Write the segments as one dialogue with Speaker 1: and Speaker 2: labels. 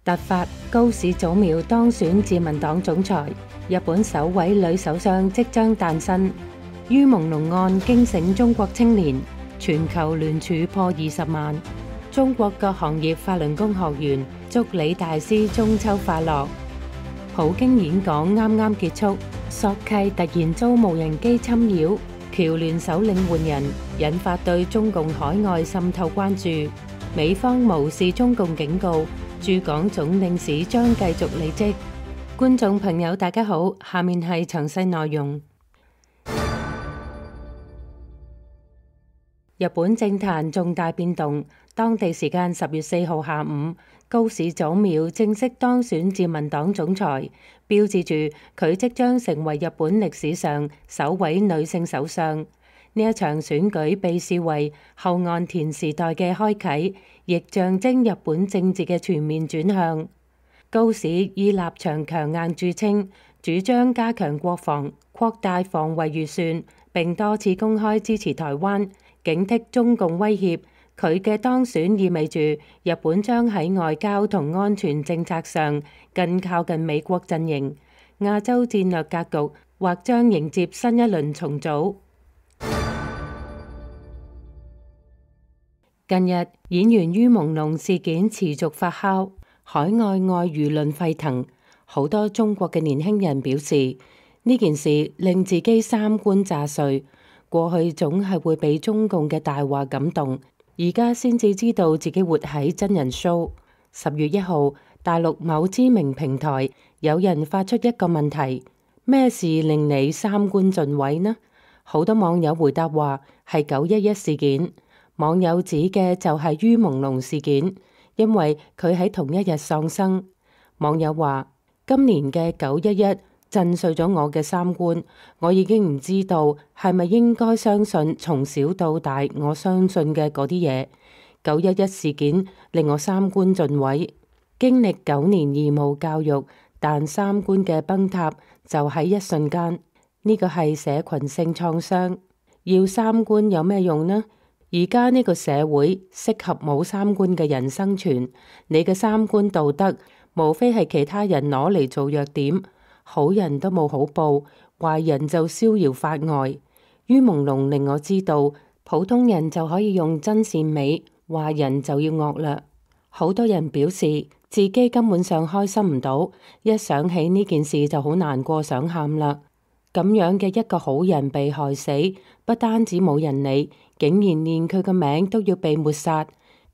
Speaker 1: 突發，高市早苗當選自民黨總裁，日本首位女首相即將誕生。於朦朧案驚醒中國青年，全球聯署破20萬。中國各行業法輪功學員祝李大師中秋快樂。普京演講啱啱結束，索契突然遭無人機侵擾，僑聯首領換人，引發對中共海外滲透關注。美方無視中共警告，駐港總領事將繼續履職。觀眾朋友大家好，下面係詳細內容。日本政壇重大變動，當地時間10月4號下午，高市早苗正式當選自民黨總裁，標誌住佢即將成為日本歷史上首位女性首相。呢一場選舉被視為後岸田時代嘅開啟，亦象徵日本政治嘅全面轉向。高市以立場強硬著稱，主張加強國防、擴大防衛預算，並多次公開支持台灣，警惕中共威脅。佢嘅當選意味住日本將喺外交同安全政策上更靠近美國陣營，亞洲戰略格局或將迎接新一輪重組。近日，演員於朦朧事件持續發酵，海外外輿論沸騰。好多中國嘅年輕人表示，呢件事令自己三觀炸碎。過去總係會被中共嘅大話感動，而家先至知道自己活喺真人 show。10月1號，大陸某知名平台有人發出一個問題：咩事令你三觀盡毀呢？好多網友回答話係911事件。網友指嘅就係於朦朧事件，因為佢喺同一日喪生。網友話：今年嘅911震碎咗我嘅三觀，我已經唔知道係咪應該相信從小到大我相信嘅嗰啲嘢。911事件令我三觀盡毀，經歷9年義務教育，但三觀嘅崩塌就喺一瞬間。呢個係社群性創傷，要三觀有咩用呢？而家呢個社會適合冇三觀嘅人生存，你嘅三觀道德無非係其他人攞嚟做弱點，好人都冇好報，壞人就逍遙法外。於朦朧令我知道，普通人就可以用真善美，壞人就要惡劣。好多人表示自己根本上開心唔到，一想起呢件事就好難過，想喊啦。咁樣嘅一個好人被害死，不單止冇人理，竟然連佢個名都要被抹殺。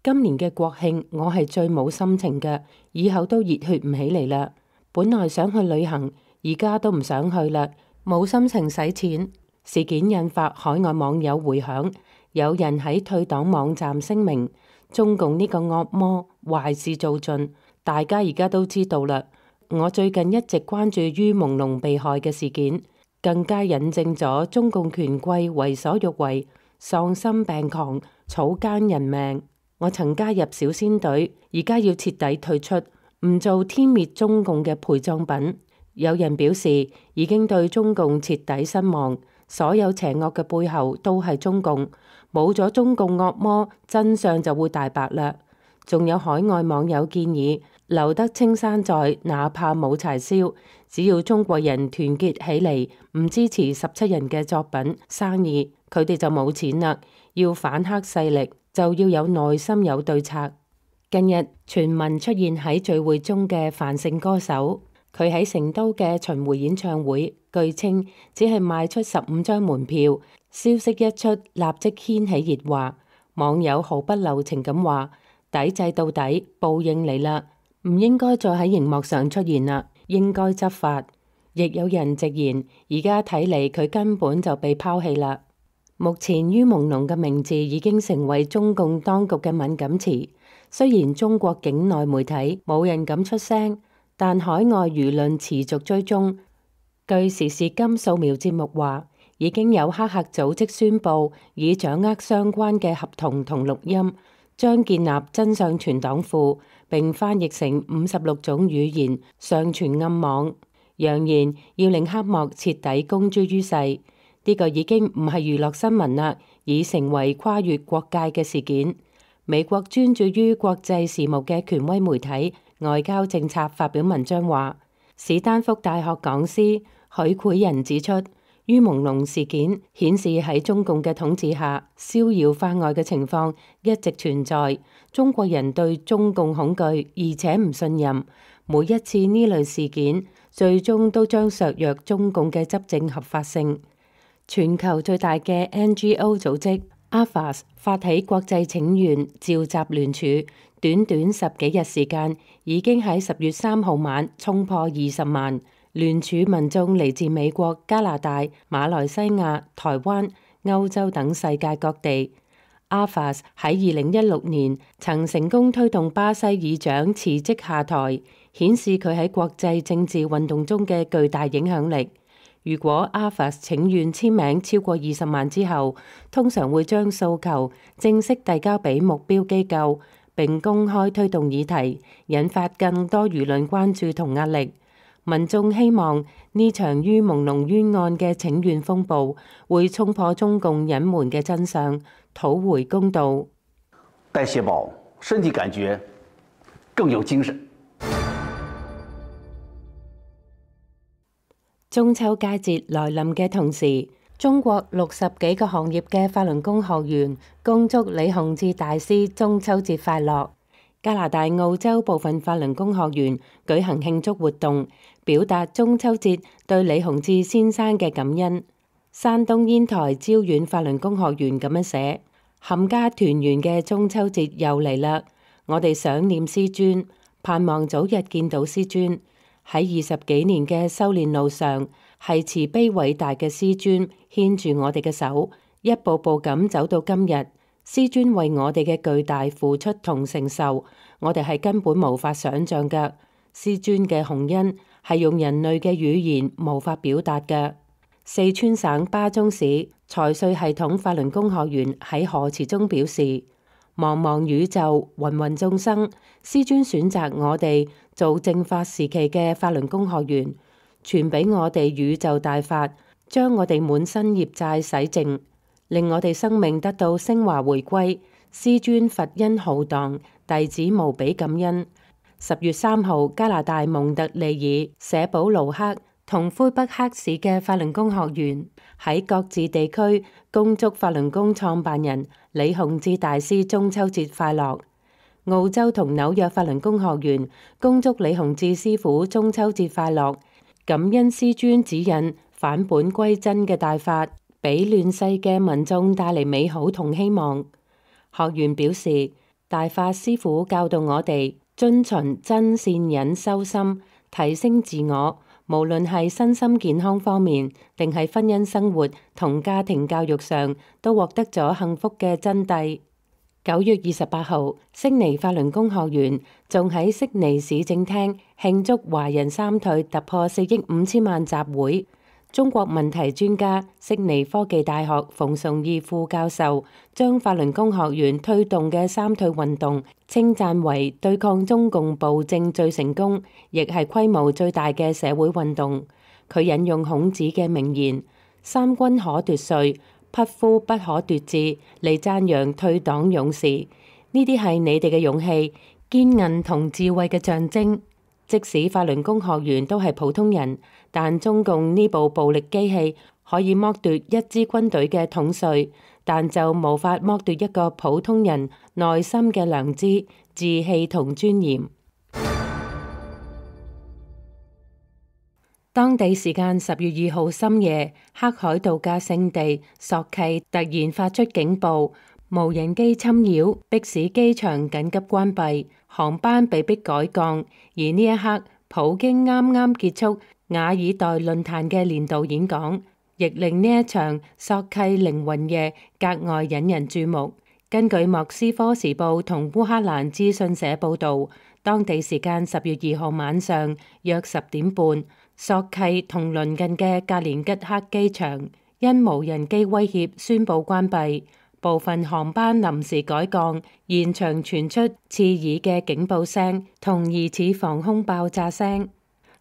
Speaker 1: 今年嘅國慶，我係最冇心情嘅，以後都熱血唔起嚟啦。本來想去旅行，而家都唔想去啦，冇心情使錢。事件引發海外網友回響，有人喺退黨網站聲明：中共呢個惡魔壞事做盡，大家而家都知道啦。我最近一直關注於朦朧被害嘅事件，更加引證咗中共權貴為所欲為、喪心病狂、草菅人命。我曾加入小仙隊，而家要徹底退出，唔做天滅中共嘅陪葬品。有人表示已經對中共徹底失望，所有邪惡嘅背後都係中共，冇咗中共惡魔，真相就會大白啦。仲有海外網友建議留得青山在，哪怕冇柴燒，只要中國人團結起嚟，唔支持17人嘅作品生意，佢哋就冇錢啦。要反黑勢力，就要有耐心有對策。近日傳聞出現喺聚會中嘅梵姓歌手，佢喺成都嘅巡迴演唱會，據稱只係賣出15張門票，消息一出立即掀起熱話。網友毫不留情咁話：抵制到底，報應嚟啦，唔應該再喺熒幕上出現啦，應該執法。亦有人直言，而家睇嚟佢根本就被拋棄啦。目前於朦朧嘅名字已經成為中共當局嘅敏感詞，雖然中國境內媒體冇人敢出聲，但海外輿論持續追蹤。據時事金掃描節目話，已經有黑客組織宣佈已掌握相關嘅合同同錄音，將建立真相存檔庫，並翻譯成56種語言上傳暗網，揚言要令黑幕徹底公諸於世。呢個已經唔係娛樂新聞啦，已成為跨越國界嘅事件。美國專注於國際事務嘅權威媒體外交政策發表文章話，史丹福大學講師許毳仁指出，於朦朧事件顯示喺中共嘅統治下，逍遙法外嘅情況一直存在。中國人對中共恐懼，而且唔信任。每一次呢類事件，最終都將削弱中共嘅執政合法性。全球最大嘅 NGO 組織 AFAS 發起國際請願召集聯署，短短10幾日時間，已經喺10月3號晚衝破20萬。聯署民眾嚟自美國、加拿大、馬來西亞、台灣、歐洲等世界各地。AFAS 喺2016年曾成功推動巴西議長辭職下台，顯示佢喺國際政治運動中嘅巨大影響力。如果 AFAS 請願簽名超過20萬之後，通常會將訴求正式遞交俾目標機構，並公開推動議題，引發更多輿論關注同壓力。民眾希望呢場於朦朧冤案嘅請願風暴會衝破中共隱瞞嘅真相，討回公道。
Speaker 2: 代謝寶身體感覺更有精神。
Speaker 1: 中秋佳節來臨嘅同時，中國60幾個行業嘅法輪功學員恭祝李洪志大師中秋節快樂。加拿大、澳洲部分法輪功學員舉行慶祝活動，表達中秋節對李洪志先生嘅感恩。山東煙台招遠法輪功學員咁樣寫：冚家團圓嘅中秋節又嚟啦！我哋想念師尊，盼望早日見到師尊。喺20幾年嘅修煉路上，係慈悲偉大嘅師尊牽住我哋嘅手，一步步咁走到今日。師尊為我哋嘅巨大付出同承受，我哋係根本無法想象嘅。師尊嘅洪恩係用人類嘅語言無法表達嘅。四川省巴中市財稅系統法輪功學員喺賀詞中表示：茫茫宇宙，芸芸眾生，師尊選擇我哋做正法時期嘅法輪功學員，傳俾我哋宇宙大法，將我哋滿身業債洗淨，令我哋生命得到升華回歸。師尊佛恩浩蕩，弟子無比感恩。10月3號，加拿大蒙特利爾、舍堡盧克同魁北克市嘅法輪功學員喺各自地區恭祝法輪功創辦人李洪志大師中秋節快樂。澳洲同紐約法輪功學員恭祝李洪志師傅中秋節快樂，感恩師尊指引返本歸真嘅大法，俾亂世嘅民眾帶嚟美好同希望。學員表示，大法師傅教導我哋遵循真善忍修心，提升自我，無論係身心健康方面，定係婚姻生活同家庭教育上，都獲得咗幸福嘅真諦。9月28號，悉尼法輪功學員仲喺悉尼市政廳慶祝華人三退突破4億5千萬集會。中國問題專家、悉尼科技大學馮崇義副教授將法輪功學員推動嘅三退運動稱讚為對抗中共暴政最成功，亦係規模最大嘅社會運動。佢引用孔子嘅名言：三軍可奪帥，匹夫不可奪志，嚟讚揚退黨勇士。呢啲係你哋嘅勇氣、堅韌同智慧嘅象徵。即使法輪功學員都係普通人，但中共呢部暴力機器可以剝奪一支軍隊嘅統帥，但就無法剝奪一個普通人內心嘅良知、志氣同尊嚴。當地時間10月2號深夜，黑海度假勝地索契突然發出警報，無人機侵擾，迫使機場緊急關閉，航班被迫改降。而呢一刻，普京啱啱結束瓦爾代論壇嘅年度演講，亦令呢一場索契靈魂夜格外引人注目。根據莫斯科時報同烏克蘭資訊社報導，當地時間10月2號晚上約10點半，索契同鄰近嘅格連吉克機場因無人機威脅宣布關閉，部分航班臨時改降，現場傳出刺耳嘅警報聲同疑似防空爆炸聲。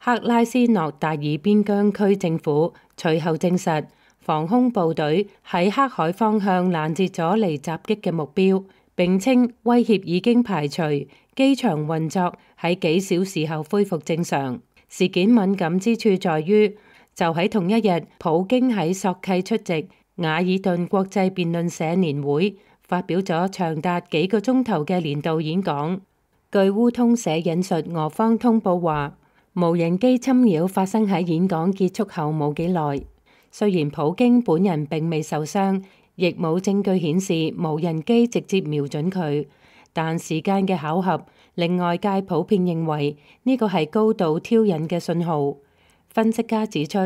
Speaker 1: 克拉斯諾達爾邊疆區政府隨後證實，防空部隊喺黑海方向攔截咗嚟襲擊嘅目標，並稱威脅已經排除，機場運作喺幾小時後恢復正常。事件敏感之處在於，就喺同一日，普京喺索契出席瓦爾頓國際辯論社年會，發表咗長達幾個鐘頭嘅年度演講。據烏通社引述俄方通報話，無人機侵擾發生喺演講結束後冇幾耐。雖然普京本人並未受傷，亦冇證據顯示無人機直接瞄準佢，但時間嘅巧合令外界普遍認為呢個係高度挑釁嘅信號。分析家指出，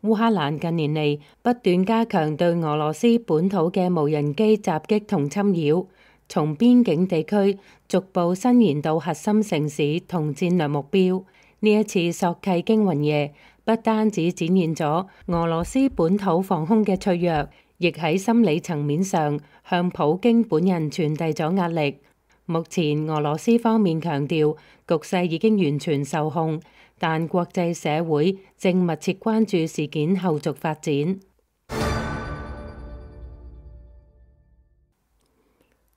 Speaker 1: 烏克蘭近年嚟不斷加強對俄羅斯本土嘅無人機襲擊同侵擾，從邊境地區逐步伸延到核心城市同戰略目標。呢一次索契驚魂夜不單止展現咗俄羅斯本土防空嘅脆弱，亦喺心理層面上向普京本人傳遞咗壓力。目前俄羅斯方面強調局勢已經完全受控，但國際社會正密切關注事件後續發展。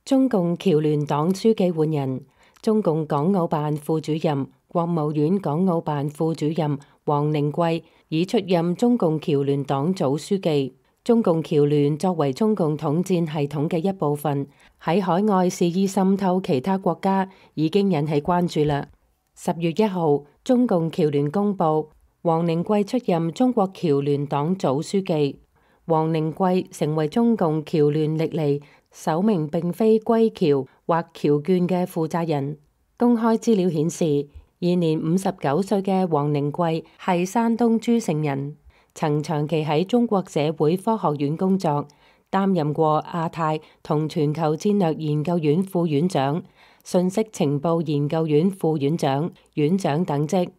Speaker 1: 中共僑聯黨書記換人，中共港澳辦副主任、國務院港澳辦副主任王寧貴已出任中共僑聯黨組書記。中共僑聯作為中共統戰系統嘅一部分，喺海外肆意滲透其他國家，已經引起關注啦。10月1號，中共僑聯公佈，王寧貴出任中國僑聯黨組書記。王寧貴成為中共僑聯歷嚟首名並非歸僑或僑眷嘅負責人。公開資料顯示，現年59歲嘅王寧貴係山東諸城人。曾長期喺中國社會科學院工作，擔任過亞太同全球戰略研究院副院長、信息情報研究院副院長、院長等職。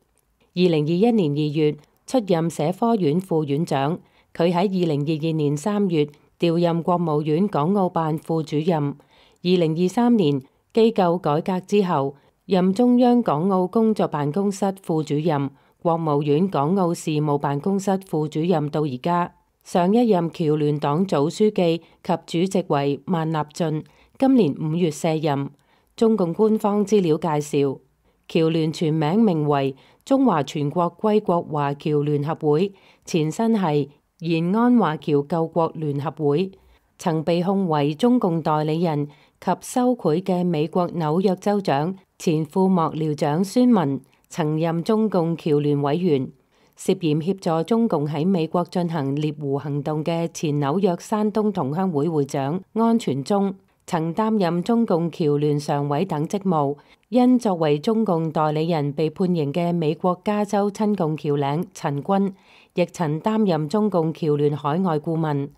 Speaker 1: 2021年2月出任社科院副院長。佢喺2022年3月調任國務院港澳辦副主任。2023年機構改革之後，任中央港澳工作辦公室副主任、國務院港澳事務辦公室副主任到而家。上一任僑聯黨組書記及主席為萬立駿，今年5月卸任。中共官方資料介紹，僑聯全名名為中華全國歸國華僑聯合會，前身係延安華僑救國聯合會。曾被控為中共代理人及收賄嘅美國紐約州長前副幕僚長孫文，曾任中共僑聯委員。涉嫌協助中共喺美國進行獵狐行動嘅前紐約山東同鄉會會長安全忠，曾擔任中共僑聯常委等職務。因作為中共代理人被判刑嘅美國加州親共僑領陳軍，亦曾擔任中共僑聯海外顧問。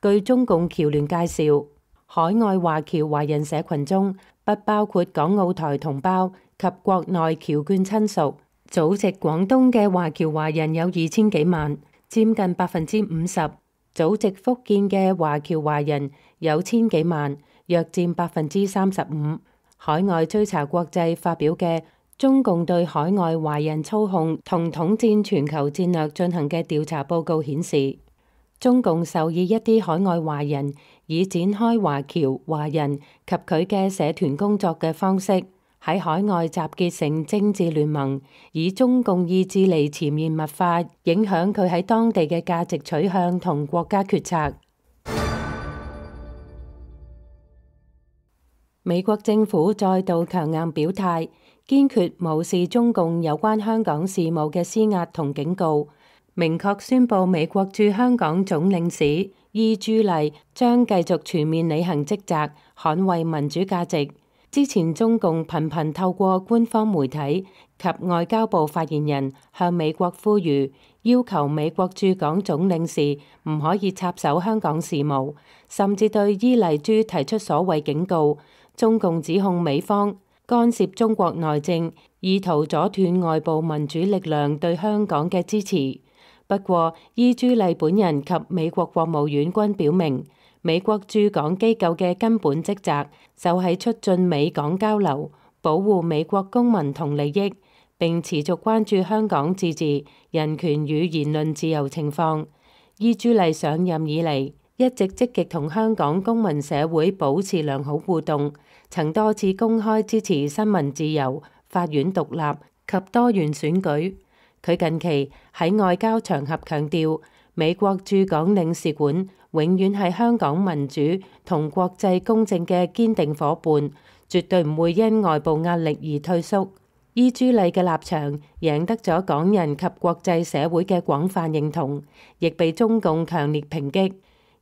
Speaker 1: 據中共僑聯介紹，海外華僑華人社群中不包括港澳台同胞及國內僑眷親屬。祖籍廣東嘅華僑華人有2000幾萬，佔近50%；祖籍福建嘅華僑華人有1000幾萬，約佔35%。海外追查國際發表嘅中共對海外華人操控同統戰全球戰略進行嘅調查報告顯示，中共授意一啲海外華人以展開華僑華人及佢嘅社團工作嘅方式，喺海外集結成政治聯盟，以中共意志嚟潛移默化影響佢喺當地嘅價值取向同國家決策。美國政府再度強硬表態，堅決無視中共有關香港事務嘅施壓同警告，明確宣布美國駐香港總領事伊朱麗將繼續全面履行職責，捍衛民主價值。之前中共頻頻透過官方媒體及外交部發言人向美國呼籲，要求美國駐港總領事唔可以插手香港事務，甚至對伊麗珠提出所謂警告。中共指控美方干涉中國內政，意圖阻斷外部民主力量對香港嘅支持。不過，伊朱麗本人及美國國務院均表明，美國駐港機構嘅根本職責就係促進美港交流，保護美國公民同利益，並持續關注香港自治、人權與言論自由情況。伊朱麗上任以嚟，一直積極同香港公民社會保持良好互動，曾多次公開支持新聞自由、法院獨立及多元選舉。佢近期喺外交場合強調，美國駐港領事館永遠係香港民主同國際公正嘅堅定夥伴，絕對唔會因外部壓力而退縮。伊朱麗嘅立場贏得咗港人及國際社會嘅廣泛認同，亦被中共強烈抨擊。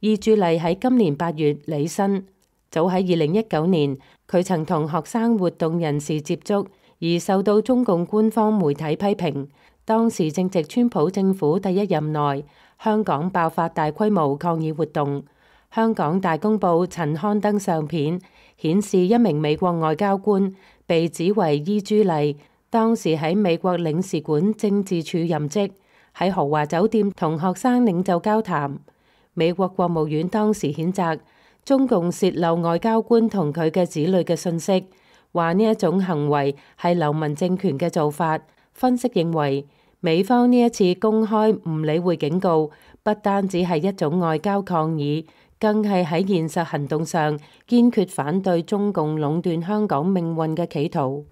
Speaker 1: 伊朱麗喺今年8月履新，早喺2019年，佢曾同學生活動人士接觸，而受到中共官方媒體批評。當時正值川普政府第一任內，香港爆發大規模抗議活動。香港大公報曾刊登相片，顯示一名美國外交官被指為伊朱麗，當時喺美國領事館政治處任職，喺豪華酒店同學生領袖交談。美國國務院當時譴責中共洩漏外交官同佢嘅子女嘅信息，話呢一種行為係流氓政權嘅做法。分析認為，美方呢一次公開唔理會警告，不單止係一種外交抗議，更係喺現實行動上堅決反對中共壟斷香港命運嘅企圖。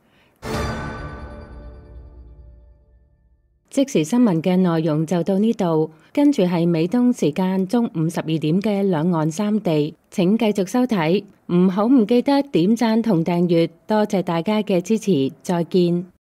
Speaker 1: 即時新聞嘅內容就到呢度，跟住係美東時間中午12點嘅兩岸三地，請繼續收睇，唔記得點讚同訂閱，多謝大家嘅支持，再見。